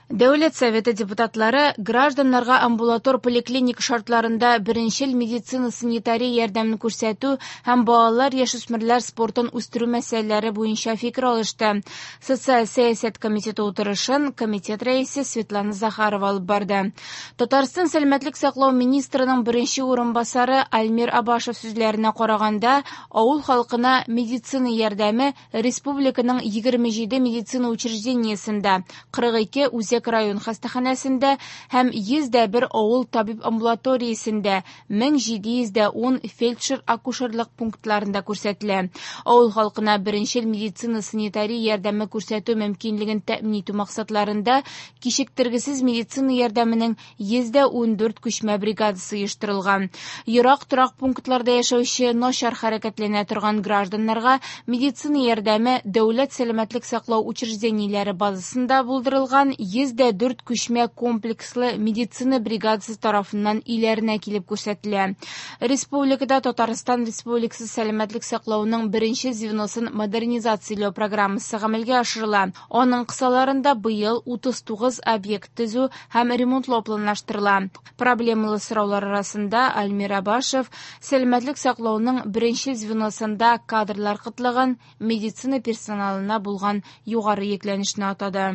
Дәүләт Советы депутатлары гражданнарга амбулатор-поликлиника шартларында беренчел медицина-санитария ярдәмен күрсәтү һәм балалар-яшүсмерләр спортын үстерү мәсьәләләре буенча фикер алышты. Социаль сәясәт комитеты утырышын комитет рәисе Светлана Захарова алып барды. Татарстан сәламәтлек саклау министрының беренче урынбасары Альмир Абашев сүзләренә караганда, авыл халкына медицина ярдәме республиканың 27 медицина учреждениесендә, 42 үзәк район хастаханәсендә һәм 101 авыл табиб амбулаториясендә, 1710 фельдшер-акушерлык пунктларында күрсәтелә. Авыл халкына беренчел медицина-санитария ярдәме күрсәтү мөмкинлеген тәэмин итү максатларында кичектергесез медицина ярдәменең 114 күчмә бригадасы оештырылган. Ерак торак пунктларда яшәүче начар хәрәкәтләнә торган гражданнарга медицина ярдәме дәүләт сәламәтлек саклау учреждениеләре базасында булдырылган 104 күчмә комплекслы медицина бригадасы тарафыннан өйләренә килеп күрсәтелә. Республикада Татарстан Республикасы сәламәтлек саклауның беренче звеносын модернизацияләү программасы гамәлгә ашырыла. Аның кысаларында быел 39 объект төзү һәм ремонтлау планлаштырыла. Проблемалы сораулар арасында Альмир Абашев сәламәтлек саклауның беренче звеносында кадрлар кытлыгын, медицина персоналына булган югары йөкләнешне атады.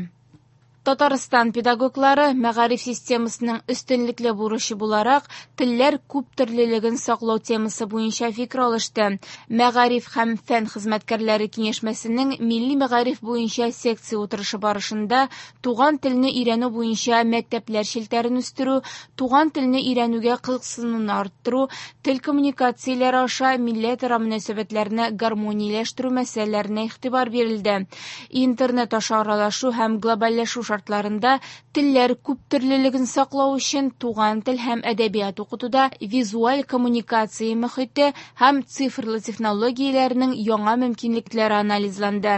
Татарстан педагоглары мәгариф системасының өстенлекле бурычы буларак телләр күптөрлелеген саклау темасы буенча фикер алышты. Мәгариф һәм фән хезмәткәрләре киңәшмәсенең милли мәгариф буенча секция утырышы барышында туган телне өйрәнү буенча мәктәпләр челтәрен үстерү, туган телне өйрәнүгә кызыксынуны арттыру, тел коммуникацияләре аша милләтара мөнәсәбәтләрне гармонияләштерү мәсьәләләренә игътибар бирелде. Интернет аша аралашу һәм глобальләшү шартларында телләр күптөрлелеген саклау өчен туган тел һәм әдәбият укытуда визуаль коммуникация мохите һәм цифрлы технологияләрнең яңа мөмкинлекләре анализланды.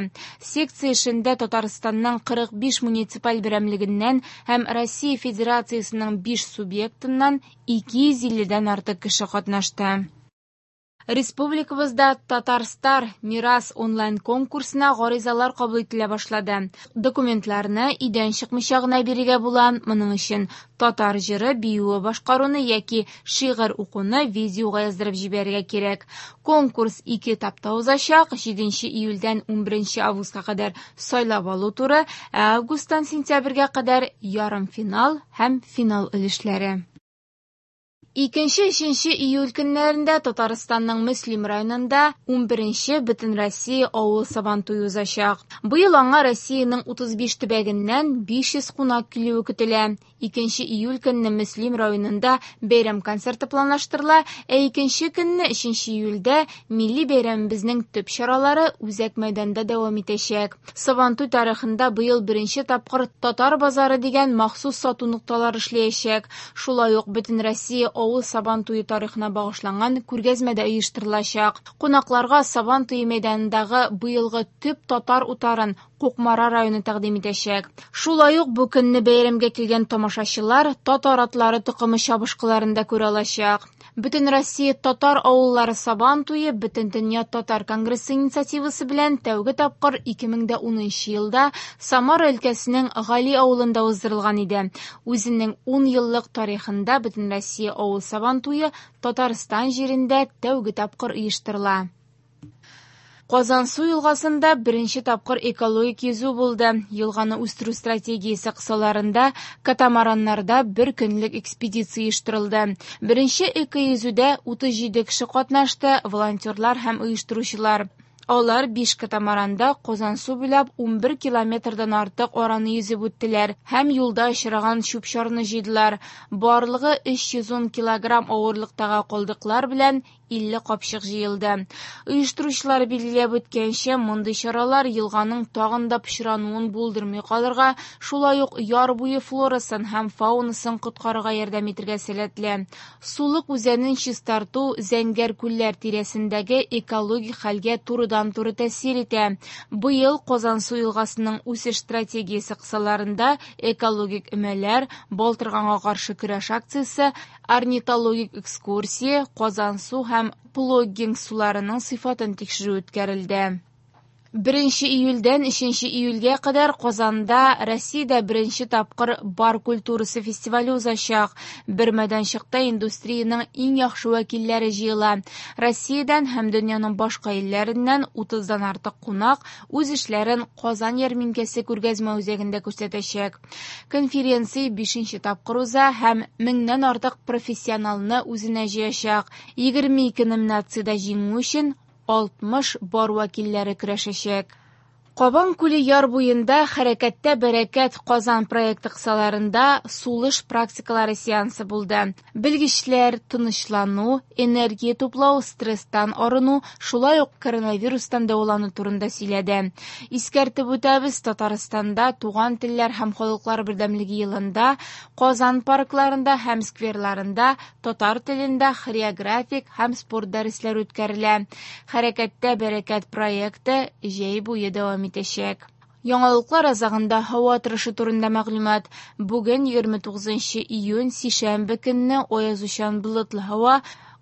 Секция эшендә Татарстанның 45 муниципаль берәмлегеннән һәм Россия Федерациясенең 5 субъектыннан 250дән артык кеше катнашты. Республикабызда Татарстар Мирас онлайн конкурсына гаризалар кабул ителә башлады. Документларны өйдән чыкмыйча гына бирергә була. Моның өчен татар җыры, биюе башкаруны яки шигырь укуны видеога яздырып җибәрергә кирәк. Конкурс ике этапта узачак: 7 июльдән 11 августка кадәр сайлап алу туры, ә августтан сентябрьгә кадәр ярымфинал һәм финал өлешләре. 2-3 июль көннәрендә Татарстанның Мөслим районында 11нче Бөтенроссия авыл Сабантуе узачак. Быел аңа Россиянең 35 төбәгеннән 500 кунак килүе көтелә. 2 июль көнне Мөслим районында бәйрәм концерты планлаштырыла, ә икенче көнне 3 июльдә милли бәйрәмебезнең төп чаралары үзәк мәйданда дәвам итәчәк. Сабантуй тарихында быел беренче тапкыр Татар базары дигән махсус сату нокталары эшләячәк. Шулай ук Бөтенроссия авыл Сабантуе тарихына багышланган күргәзмә дә оештырылачак. Кунакларга Сабантуе мәйданындагы быелгы төп татар утарын Кукмара районы тәкъдим итәчәк. Шулай ук бу көнне бәйрәмгә килгән тамашачылар татар атлары токымы чабышкыларын да күрә алачак. Бөтенроссия татар авыллары Сабантуе Бөтендөнья татар конгрессы инициативасы белән тәүге тапкыр 2010 елда Самара өлкәсенең Гали авылында уздырылган иде. Үзенең 10 еллык тарихында Бөтенроссия авыл Сабантуе Татарстан җирендә тәүге тапкыр оештырыла. Казансу елгасында беренче тапкыр экологик йөзү булды. Елганы үстерү стратегиясе кысаларында катамараннарда бер көнлек экспедиция оештырылды. Беренче эко-йөзүдә 37 кеше катнашты, волонтерлар һәм оештыручылар. Алар 5 катамаранда Казансу буйлап 11 километрдан артык араны йөзеп үттеләр һәм юлда очраган чүп-чарны җыйдылар. Барлыгы 310 килограмм авырлыктагы калдыклар белән 50 капчык җыелды. Оештыручылар билгеләп үткәнчә, мондый чаралар елганың тагын да пычрануын булдырмый калырга, шулай ук яр буе флорасын һәм фаунасын коткарырга ярдәм итәргә сәләтле. Сулык үзәнен чистарту Зәңгәр күлләр тирәсендәге экологик хәлгә турыдан-туры тәэсир итә. Быел Казансу елгасының үсеш стратегиясе кысаларында экологик өмәләр, балтырганга каршы көрәш акциясе, орнитологик экскурсия, Казансу һәм плоггинг суларының сыйфатын тикшерү үткәрелде. 1 июльдән 3 июльгә кадәр Казанда Россиядә беренче тапкыр бар культурасы фестивале узачак. Бер мәйданчыкта индустриянең иң яхшы вәкилләре җыела. Россиядән һәм дөньяның башка илләреннән 30-дан артык кунак үз эшләрен Казан ярминкәсе күргәзмә үзәгендә күрсәтәчәк. Конференция 5 тапкыр уза һәм 1000-нән артык профессионалны үзенә җыячак. 22 номинациядә җиңү өчен 60 бар вәкилләре көрәшәчәк. Кабан күле яр буенда «Хәрәкәттә бәрәкәт» Казан проекты кысаларында сулыш практикалары сеансы булды. Белгечләр тынычлану, энергия туплау, стресстан арыну, шулай ук коронавирустан дәвалану турында сөйләде. Искәртеп үтәбез, Татарстанда туган телләр һәм халыклар бердәмлеге елында Казан паркларында һәм скверларында татар телендә хореографик һәм спорт дәресләре үткәрелә. «Хәрәкәттә бәрәкәт» проекты җәй буе дәвам итәчәк. Яңалыклар азагында һава торышы турында мәгълүмат. Бүген 29 июнь, сишәмбе көнне аязучан болытлы һава,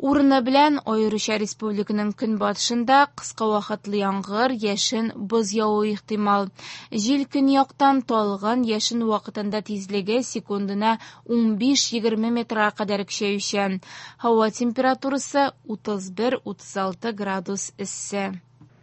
урыны белән аеруча республиканың көнбатышында кыска вакытлы яңгыр, яшен, боз явуы ихтимал. Җил көньяктан талгын, яшен вакытында тизлеге секундына 15-20 метрга кадәр көчәючән. Һава температурасы 31-36 градус эссе.